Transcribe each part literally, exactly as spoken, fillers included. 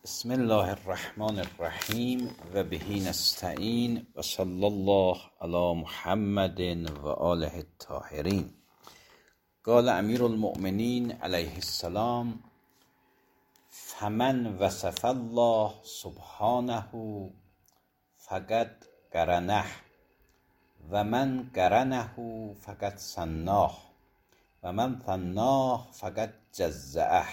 بسم الله الرحمن الرحیم و بهی نستعین و صلی الله علی محمد و آله الطاهرین. قال امیر المؤمنین علیه السلام: فمن وصف الله سبحانه فقد قرنه و من قرنه فقد ثناه و من ثناه فقد جزعه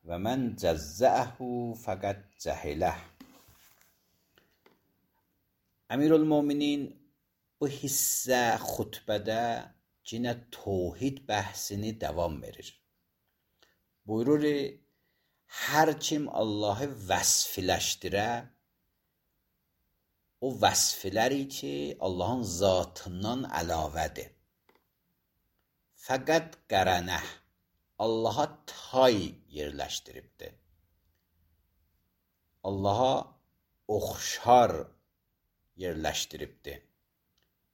و من جزعه فقد جهله. Əmirül-Möminin bu hissə xutbədə yenə tövhid bəhsini davam verir. Buyurur, hər kim Allahı vəsfiləşdirə, o vəsfləri ki, Allahın zatından əlavədir. Fəqət qərənəh, Allaha tay yerləşdiribdir. Allaha oxşar yerləşdiribdir,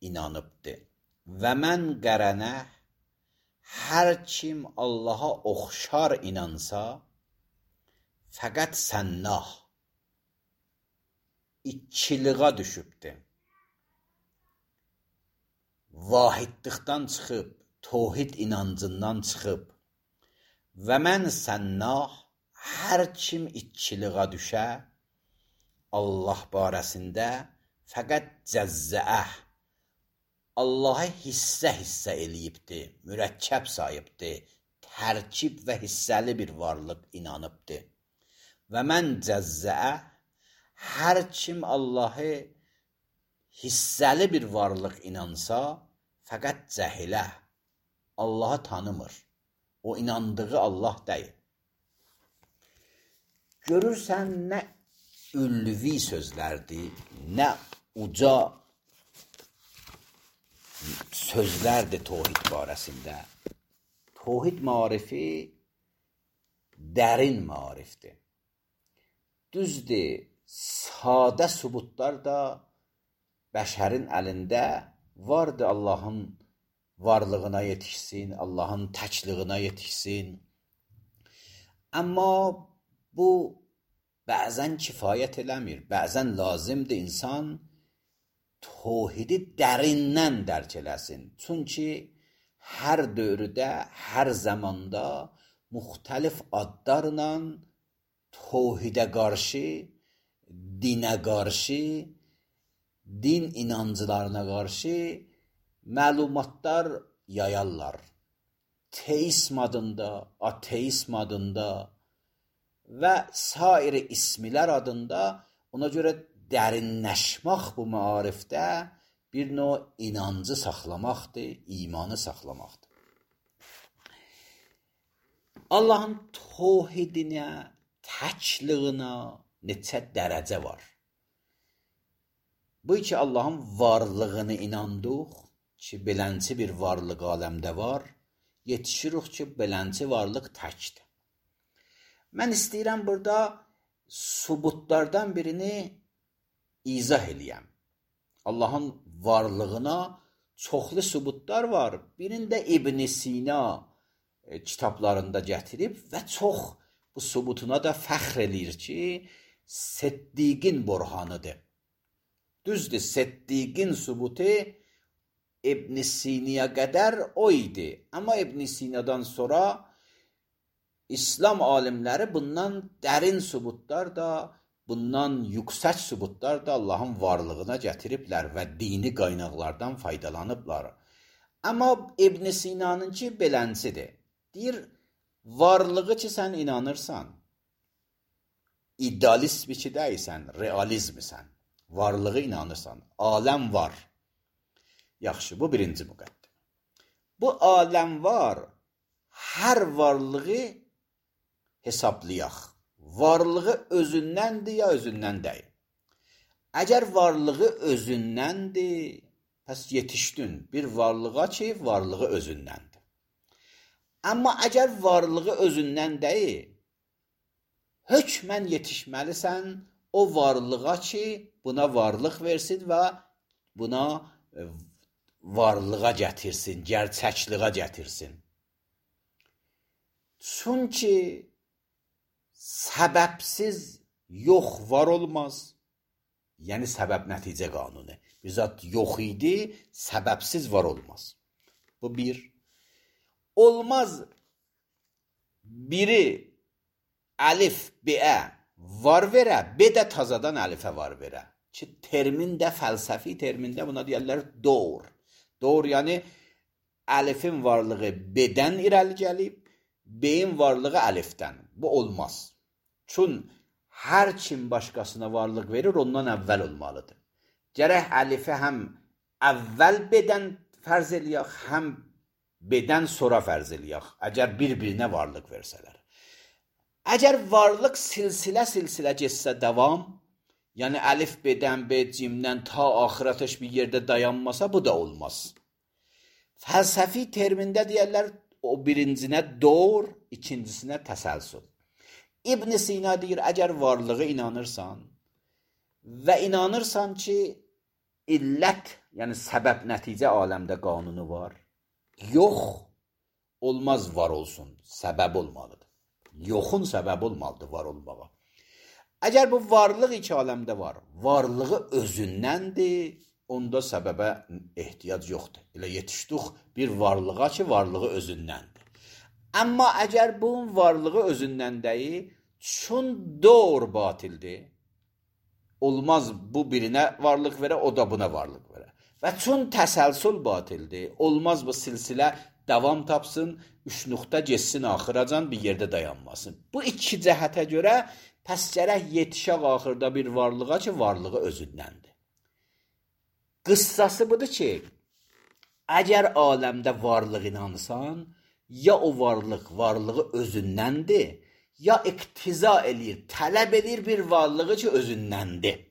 inanıbdır. Və mən qərənəh, hər kim Allaha oxşar inansa, fəqət sənnah, ikiliğa düşübdir. Vahidlikdən çıxıb, tövhid inancından çıxıb. Və mən sənnah, hər kim ikiliğa düşə, Allah barəsində fəqət cəzzəəh, Allahı hissə-hissə eləyibdir, mürəkkəb sayıbdır, tərkib və hissəli bir varlıq inanıbdır. Və mən cəzzəəh, hər kim Allahı hissəli bir varlıq inansa, fəqət cəhiləh, Allahı tanımır. O inandığı Allah deyil. Görürsən, nə ülvi sözlərdir, nə uca sözlərdir tövhid barəsində. Tövhid marifi dərin marifdir. Düzdür, sadə sübutlar da bəşərin əlində vardır, Allahın varlığına yetişsin, Allahın təkliyinə yetişsin. Amma bu bəzən kifayət eləmir, bəzən lazımdır insan tövhidi dərindən dərk eləsin. Çünki hər dövrdə, hər zamanda müxtəlif adlarla tövhidə qarşı, dinə qarşı, din inancılarına qarşı məlumatlar yayarlar. Teism adında, ateism adında və sair ismilər adında, ona görə dərinləşmək bu maarifdə bir növ inancı saxlamaqdır, imanı saxlamaqdır. Allahın tövhidinə, təkliyinə neçə dərəcə var. Bu ki, Allahın varlığını inandıq ki, belənçi bir varlıq aləmdə var, yetişirik ki, belənçi varlıq təkdir. Mən istəyirəm burada sübutlardan birini izah eləyəm. Allahın varlığına çoxlu sübutlar var. Birində İbn Sina kitablarında gətirib və çox bu sübutuna da fəxr eləyir ki, Səddiqin burhanıdır. Düzdür, Səddiqin sübutu İbn Sina'ya qədər o idi. Amma İbn Sina'dan sonra İslam alimləri bundan dərin sübutlar da, bundan yüksək sübutlar da Allahın varlığına gətiriblər və dini qaynaqlardan faydalanıblar. Amma İbn Sina'nınki belənçidir. Deyir, varlığı ki, sən inanırsan, idealist bir ki deyilsən, realizmisən, varlığı inanırsan, aləm var. Yaxşı, bu birinci müqəddimə. Bu aləm var, hər varlığı hesablayaq. Varlığı özündəndir ya özündən deyil. Əgər varlığı özündəndir, pəs yetişdin bir varlığa ki, varlığı özündəndir. Amma əgər varlığı özündən deyil, hökmən yetişməlisən o varlığa ki, buna varlıq versin və buna varlığa gətirsin, gerçəkliğə gətirsin. Çünki səbəbsiz yox var olmaz. Yəni səbəb nəticə qanunu. Bir zat yox idi, səbəbsiz var olmaz. Bu bir. Olmaz biri əlif B-ə var verə, B də tazadan əlifə var verə. Ki termin də fəlsəfi termində buna deyirlər doğr. Doğr yəni əlifin varlığı B-dən irəli gəlib, B-in varlığı əlifdən. Bu olmaz. Çün hər kim başqasına varlıq verir, ondan əvvəl olmalıdır. Gərək əlifi həm əvvəl B-dən fərz eləyək, həm B-dən sonra fərz eləyək, əgər bir-birinə varlıq versələr. Əgər varlıq silsilə silsilə getsə davam, yəni əlif B-dən, B cimdən ta axıratış bir yerdə dayanmasa, bu da olmaz. Fəlsəfi termində deyərlər, o birincinə doğr, ikincisinə təsəlsül. İbn Sina deyir, əgər varlığı inanırsan və inanırsan ki, illət, yəni səbəb nəticə aləmdə qanunu var, yox, olmaz var olsun, səbəb olmalıdır. Yoxun səbəb olmalıdır var olmağa. Əgər bu varlıq iki aləmdə var, varlığı özündəndir, onda səbəbə ehtiyac yoxdur. Elə yetişdik bir varlığa ki, varlığı özündəndir. Amma əgər bunun varlığı özündən deyil, çün doğru batildir, olmaz bu birinə varlıq verə, o da buna varlıq verə. Və çün təsəlsül batildir, olmaz bu silsilə davam tapsın, üç nöqtə geçsin axıracan bir yerdə dayanmasın. Bu iki cəhətə görə pəs gərək yetişək axırda bir varlığa ki, varlığı özündəndir. Qıssası budur ki, əgər aləmdə varlıq inansan, ya o varlıq varlığı özündəndir, ya iqtiza eləyir, tələb edir bir varlığı ki, özündəndir.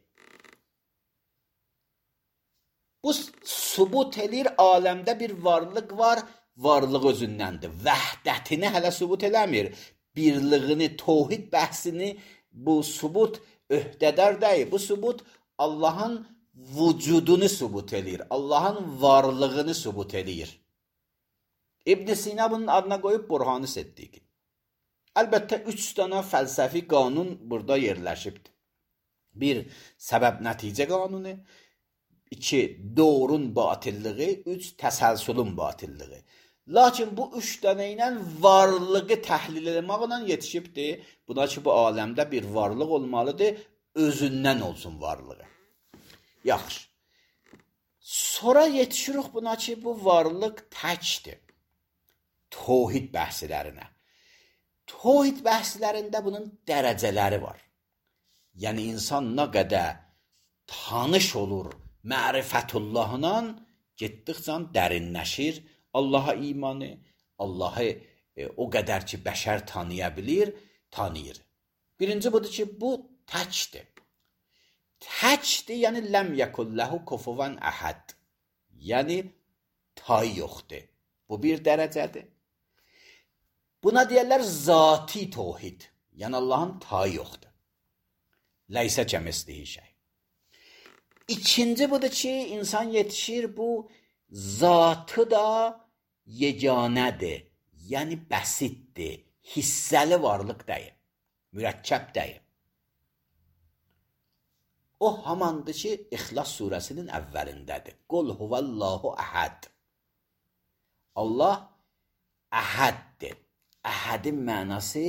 Bu subut edir, aləmdə bir varlıq var, varlıq özündəndir. Vəhdətini hələ subut eləmir. Birliğini, tohid bəhsini bu subut öhdədar deyil. Bu subut Allahın vücudunu subut edir. Allahın varlığını subut edir. İbn Sina bunun adına qoyub Burhan-ı Siddiqi. Əlbəttə, üç dana fəlsəfi qanun burada yerləşibdir. Bir, səbəb nəticə qanunu. İki, doğrun batilliği. Üç, təsəlsülün batilliği. Lakin bu üç dənə ilə varlığı təhlil etməklə yetişibdir. Buna ki, bu aləmdə bir varlıq olmalıdır, özündən olsun varlığı. Yaxşı. Sonra yetişirik buna ki, bu varlıq təkdir. Tohid bəhslərinə. Tohid bəhslərində bunun dərəcələri var. Yəni, insan nə qədər tanış olur mərifətullahla, getdikcə dərinləşir Allaha imanı, Allahı e, o qədər ki, bəşər tanıya bilir, tanıyır. Birinci budur ki, bu təkdir. Təkdir, yəni ləm yəkulləhu kufuvan əhəd. Yəni, tay yoxdur. Bu bir dərəcədir. Buna deyərlər zati tohid. Yəni, Allahın tayı yoxdur. Ləysə kəmislihi şey. İkinci budur ki, insan yetişir, bu zatı da yeganədir. Yəni, bəsitdir. Hissəli varlıq deyil. Mürəkkəb deyil. O hamandır ki, İxlas surəsinin əvvəlindədir. Qul huvəllahu əhəd. Allah əhəddir. Əhədin mənası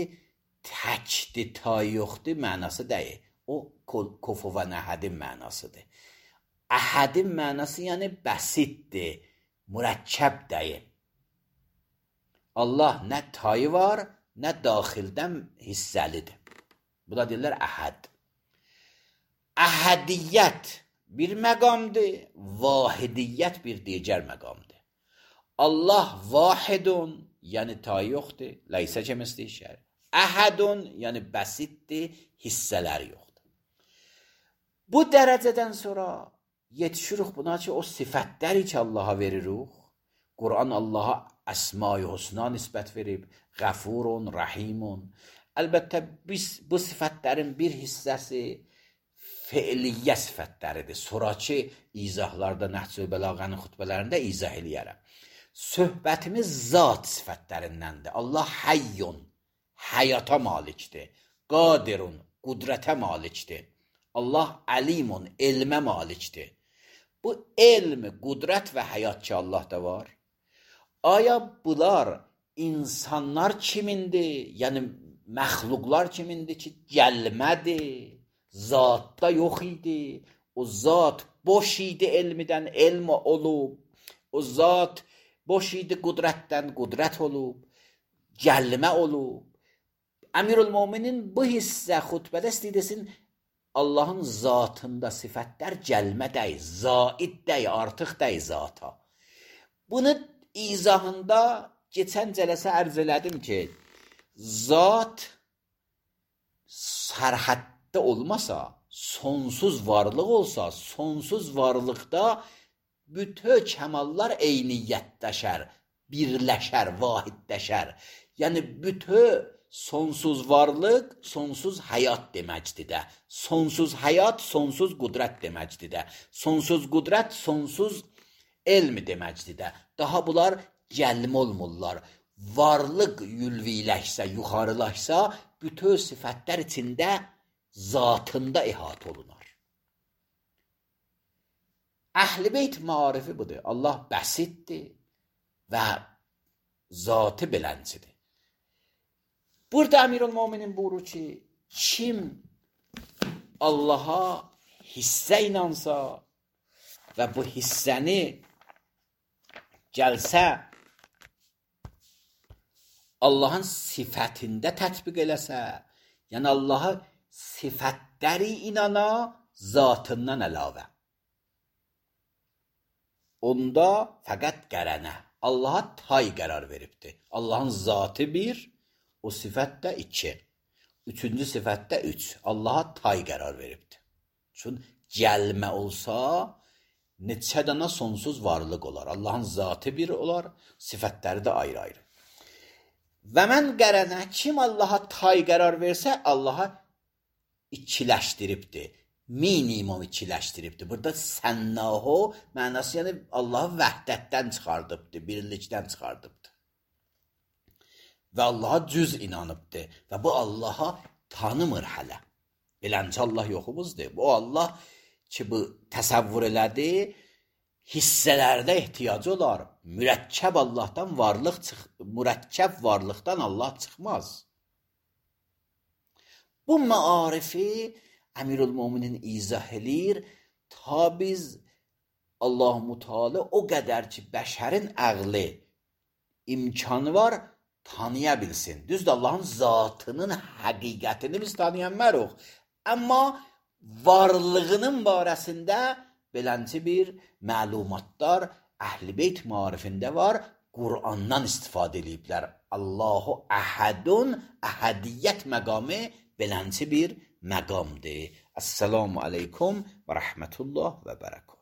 təkdir, tay yoxdur mənası deyil. O kufuvan əhədin mənasıdır. Əhədin mənası yəni bəsitdir, mürəkkəb deyil. Allah nə tayı var, nə daxildən hissəlidir. Bu da deyirlər əhəd. Əhədiyyət bir məqamdır, vahidiyyət bir digər məqamdır. Allah vahidun, yəni tay yoxdur, ləysə kəmislihi şey. Əhədun, yəni bəsitdir, hissələri yoxdur. Bu dərəcədən sonra yetişirik buna ki, o sifətləri ki, Allaha veririk. Quran Allaha əsma-i husna nisbət verib, qəfurun, rahimun. Əlbəttə, biz bu sifətlərin bir hissəsi feiliyyə sifətləridir. Sonraki izahlarda, Nəhc-ü Bəlağənin xütbələrində izah eləyərəm. Söhbətimiz zat sifətlərindəndir. Allah həyyun, həyata malikdir. Qadirun, qudrətə malikdir. Allah əlimun, elmə malikdir. Bu elm, qudrət və həyat ki Allahda var. Aya bunlar insanlar kimindir? Yəni məxluqlar kimindir ki, gəlmədir, zatda yox idi. O zat boş idi elmidən, elm olub. O zat boş idi qudrətdən, qudrət olub. Gəlmə olub. Əmirülmöminin bu hissə xutbədə istəyirsin, Allahın zatında sifətlər gəlmə dəy, zaid dəy, artıq dəy zata. Bunu izahında keçən cələsə ərz elədim ki, zat sərhəddə olmasa, sonsuz varlıq olsa, sonsuz varlıqda bütün kəmallar eyniyyətləşər, birləşər, vahidləşər. Yəni bütün sonsuz varlıq, sonsuz həyat deməkdir də. Sonsuz həyat, sonsuz qudrət deməkdir də. Sonsuz qudrət, sonsuz elm deməkdir də. Daha bunlar gəlmə olmurlar. Varlıq yülviləşsə, yuxarılaşsa, bütün sifətlər içində zatında əhatə olunar. Əhl-i Beyt marifi budur. Allah bəsiddir və zatı beləncidir. Burada Əmirülmöminin buyurur ki, kim Allaha hissə inansa və bu hissəni gəlsə Allahın sifətində tətbiq eləsə, yəni Allaha sifətləri inana zatından əlavə. Onda fəqət qərənə, Allaha tay qərar veribdir. Allahın zatı bir, o sifət də iki. Üçüncü sifət də üç. Allaha tay qərar veribdir. Çünki gəlmə olsa, neçə dana sonsuz varlıq olar. Allahın zatı bir olar, sifətləri də ayrı-ayrı. Və mən qərənə, kim Allaha tay qərar versə, Allaha ikiləşdiribdir. Minimum ikiləşdiribdir. Burada sənnahu mənası, yəni Allahı vəhdətdən çıxardıbdır, birlikdən çıxardıbdır. Və Allaha cüz inanıbdır. Və bu Allaha tanımır hələ. Beləncə Allah yoxumuzdur. Bu Allah ki, bu təsəvvür elədi, hissələrdə ehtiyacı olar. Mürəkkəb Allahdan varlıq çıx, mürəkkəb varlıqdan Allah çıxmaz. Bu maarifi Əmirülmöminin izah edir, ta biz Allah-u Teala o qədər ki, bəşərin əqli imkanı var, tanıya bilsin. Düzdür, Allahın zatının həqiqətini biz tanıyanmərıq. Amma varlığının barəsində belənci bir məlumatlar Əhl-i Beyt marifində var, Qur'andan istifadə ediblər. Allahu əhədun, əhədiyyət məqamı belənci bir məqamdır. Əssəlamu aleykum və rəhmətullah və bərəkət.